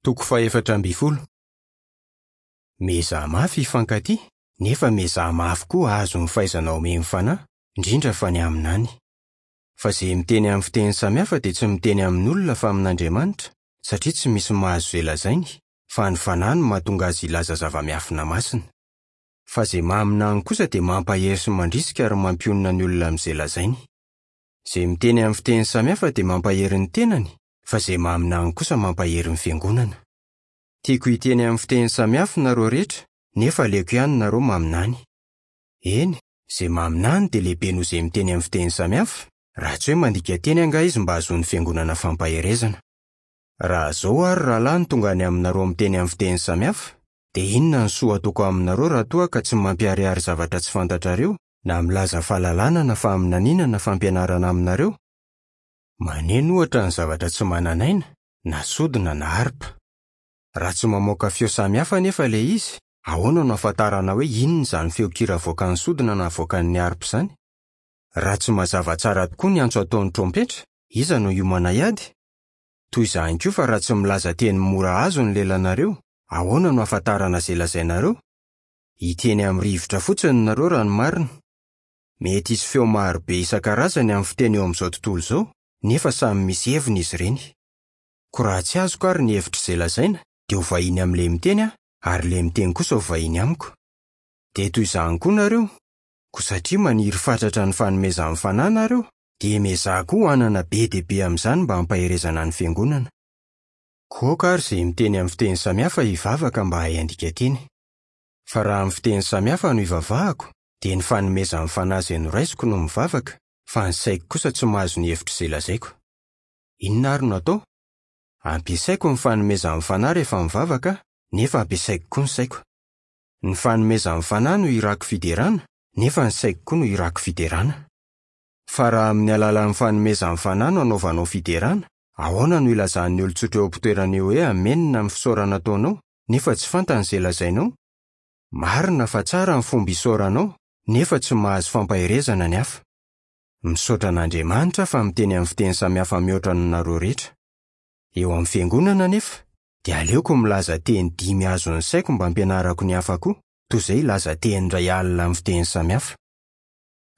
Toko fahefatra ambin'ny folo. Miezaha mafy hifankatia, nefa miezaha mafy koa hahazo ny fahaizana omen'ny Fanahy, indrindra fa ny haminany. Fa izay miteny amin'ny fiteny samihafa dia tsy miteny amin'olona fa amin'Andriamanitra, satria tsy misy mahazo izay lazainy, fa ny Fanahy no mahatonga azy hilaza zava-miafina masina. Fa izay maminany kosa dia mampahery sy mandrisika ary mampionona ny olona amin'izay lazainy. Izay miteny amin'ny fiteny samihafa dia mampahery ny tenany, fa izay maminany kosa mampahery ny fiangonana. Tiako hiteny amin'ny fiteny samihafa nareo rehetra, nefa aleoko ihany nareo maminany. Eny, izay maminany dia lehibe noho izay miteny amin'ny fiteny samihafa, raha tsy hoe mandika teny angaha izy mba hahazoan'ny fiangonana fampaherezana. Raha izao ary rahalahy no tonga any aminareo miteny amin'ny fiteny samihafa, dia inona ny soa ataoko aminareo raha toa ka tsy mampiharihary zavatra tsy fantatrareo, na milaza fahalalana na faminaniana na fampianarana aminareo? Maneno ohatra ny zavatra tsy manan'aina, na sodina na harpa. Raha tsy mamoaka feo samihafa anefa ilay izy, ahoana no ahafantarana hoe inona izany feon-kira avoakan'ny sodina na avoakan'ny harpa izany? Raha tsy mazava tsara tokoa ny antso ataon'ny trompetra, iza no hiomana hiady? Toy izany koa fa raha tsy milaza teny mora azo ny lelanareo, ahoana no ahafantarana izay lazainareo? Hiteny amin'ny rivotra fotsiny nareo raha ny marina. Mety hisy feo maro be isan-karazany amin'ny fiteny eo amin'izao tontolo izao, nefa samy misy heviny izy ireny. Koa raha tsy azoko àry ny hevitr'izay lazaina, dia ho vahiny amin'ilay miteny aho, ary ilay miteny kosa ho vahiny amiko. Dia toy izany koa nareo, koa satria maniry fatratra ny fanomezan'ny Fanahy nareo, dia miezaha koa hanana be dia be amin'izany mba hampaherezana ny fiangonana. Koa aoka àry izay miteny amin'ny fiteny samihafa hivavaka mba hahay handika teny. Fa raha amin'ny fiteny samihafa no ivavahako, dia ny fanomezan'ny Fanahy izay noraisiko no mivavaka, fa ny saiko kosa tsy mahazo ny hevitr'izay lazaiko. Inona àry no atao? Ampiasaiko ny fanomezan'ny Fanahy rehefa mivavaka aho, nefa ampiasaiko koa ny saiko. Ny fanomezan'ny Fanahy no hirako fiderana, nefa ny saiko koa no hirako fiderana. Fa raha amin'ny alalan'ny fanomezan'ny Fanahy no anaovanao fiderana, ahoana no ilazan'ny olon-tsotra eo am-pitoerana eo hoe Amena amin'ny fisaorana ataonao, nefa tsy fantany izay lazainao? Marina fa tsara ny fomba isaoranao, nefa tsy mahazo fampaherezana ny hafa. Misaotra an'Andriamanitra aho fa miteny amin'ny fiteny samihafa mihoatra noho nareo rehetra. Eo amin'ny fiangonana anefa, dia aleoko milaza teny dimy azon'ny saiko mba hampianarako ny hafa koa, toy izay hilaza teny iray alina amin'ny fiteny samihafa.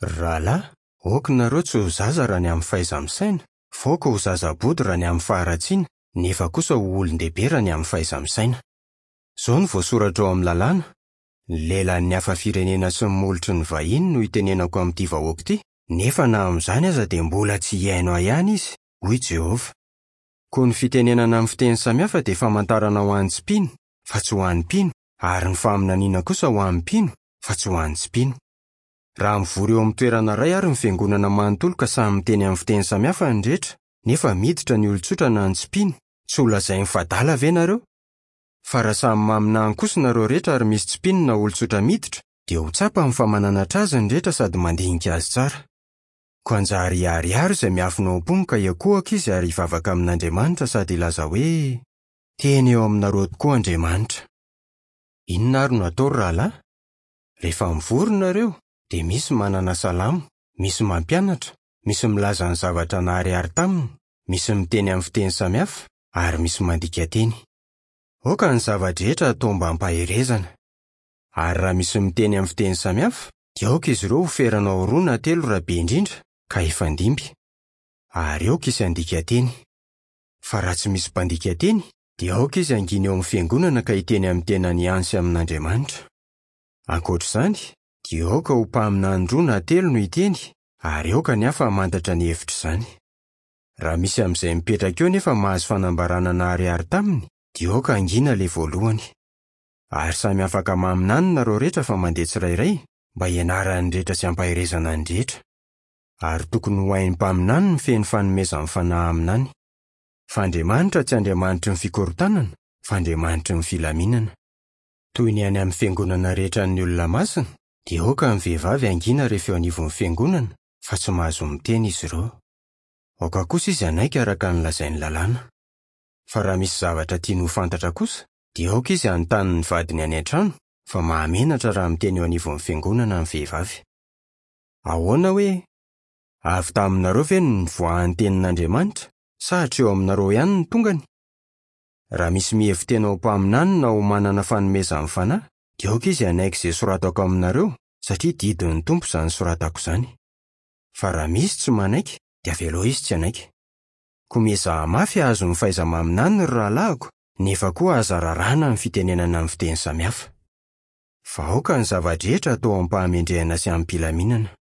Ry rahalahy, aoka nareo tsy ho zaza raha ny amin'ny fahaiza-misaina, fa aoka ho zaza bodo raha ny amin'ny faharatsiana, nefa kosa ho olon-dehibe raha ny amin'ny fahaiza-misaina. Izao no voasoratra ao amin'ny Lalàna, Ny lelan'ny hafa firenena sy ny molotry ny vahiny no itenenako amin'ity vahoaka ity, nefa na amin'izany aza dia mbola tsy hihaino ahy ihany izy, hoy Jehovah. Koa ny fitenenana amin'ny fiteny samihafa dia famantarana ho an'ny tsy mpino, fa tsy ho an'ny mpino, ary ny faminaniana kosa ho an'ny mpino, fa tsy ho an'ny tsy mpino. Raha mivory eo amin'ny toerana iray àry ny fiangonana manontolo ka samy miteny amin'ny fiteny samihafa ny rehetra, nefa miditra ny olon-tsotra na ny tsy mpino, tsy holazainy fa adala ve nareo? Fa raha samy maminany kosa nareo rehetra ary misy tsy mpino na olon-tsotra miditra, dia ho tsapany fa mananatra azy ny rehetra sady mandinika azy tsara. Koa hanjary hiharihary izay miafina ao am-pony ka hiankohoka izy ary hivavaka amin'Andriamanitra sady hilaza hoe, Tena eo aminareo tokoa Andriamanitra. Inona ary no atao ry rahalahy? Rehefa mivory nareo, dia misy manana salamo, misy mampianatra, misy milaza ny zavatra naharihary taminy, misy miteny amin'ny fiteny samihafa, ary misy mandika teny. Aoka ny zava-drehetra hatao mba hampaherezana. Ary raha misy miteny amin'ny fiteny samihafa, dia aoka izy ireo hoferana ho roa na telo raha be indrindra, ka hifandimby. Ary aoka hisy handika teny. Fa raha tsy misy mpandika teny, dia aoka izy hangina eo amin'ny fiangonana ka hiteny amin'ny tenany ihany sy amin'Andriamanitra. Ankoatra izany, dia aoka ho mpaminany roa na telo no hiteny, ary aoka ny hafa hamantatra ny hevitr'izany. Raha misy amin'izay mipetraka eo nefa mahazo fanambarana naharihary taminy, dia aoka hangina ilay voalohany. Ary samy afaka maminany nareo rehetra fa mandeha tsirairay, mba hianaran'ny rehetra sy hampaherezana ny rehetra. Ary tokony ho hain'ny mpaminany ny feno fanomezan'ny Fanahy haminany. Fa Andriamanitra tsy Andriamanitry ny fikorontanana, fa Andriamanitry ny filaminana. Toy ny any amin'ny fiangonana rehetra an'ny olona masina, dia aoka ny vehivavy hangina rehefa eo anivon'ny fiangonana, fa tsy mahazo miteny izy ireo. Aoka kosa izy hanaiky araka ny lazain'ny lalàna. Fa raha misy zavatra tiany ho fantatra kosa, dia aoka izy hanontany ny vadiny any an-trano, fa mahamenatra raha miteny eo anivon'ny fiangonana ny vehivavy. Ahoana hoe? Avy taminareo ve no nivoahan'ny tenin'Andriamanitra, sa hatreo aminareo ihany no tongany? Raha misy mihevi-tena ho mpaminany na ho manana fanomezan'ny Fanahy, dia aoka izy hanaiky izay soratako aminareo, satria didin'ny Tompo izany soratako izany. Fa raha misy tsy manaiky, dia avelao izy tsy hanaiky. Koa miezaha mafy hahazo ny fahaiza-maminany, ry rahalahiko, nefa koa aza raràna ny fitenenana amin'ny fiteny samihafa. Fa aoka ny zava-drehetra hatao amim-pahamendrehana sy amim-pilaminana.